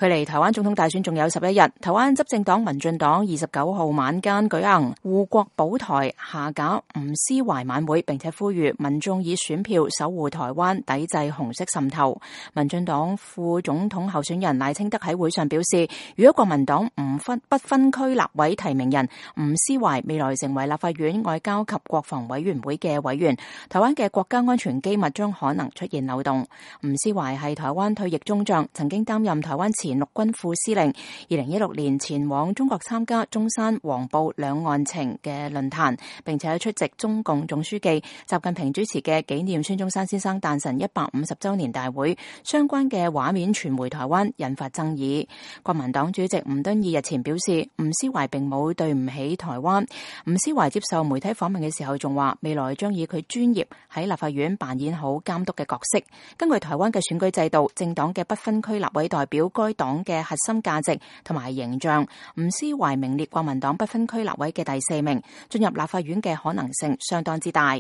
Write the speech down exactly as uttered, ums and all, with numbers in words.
距離台灣總統大選仲有十一日，台灣執政黨民進黨二十九號晚間舉行護國保台下架吳斯懷晚會，並且呼籲民眾以選票守護台灣，抵制紅色滲透。民進黨副總統候選人賴清德喺會上表示，如果國民黨唔分不分區立委提名人吳斯懷未來成為立法院外交及國防委員會嘅委員，台灣嘅國家安全機密將可能出現漏洞。吳斯懷係台灣退役中將，曾經擔任台灣前陸軍副司令。二零一六年前往中國參加中山黃埔兩岸情嘅論壇，並且出席中共總書記習近平主持嘅紀念孫中山先生誕辰一百五十周年大會，相關嘅畫面傳回台灣，引發爭議。國民黨主席吳敦義日前表示，吳斯懷並冇對唔起台灣。吳斯懷接受媒體訪問嘅時候仲話，未來將以佢專業喺立法院扮演好監督嘅角色。根據台灣嘅選舉制度，政黨嘅不分區立委代表該黨嘅核心價值同埋形象。吳斯懷名列國民黨不分區立委嘅第四名，進入立法院嘅可能性相當之大。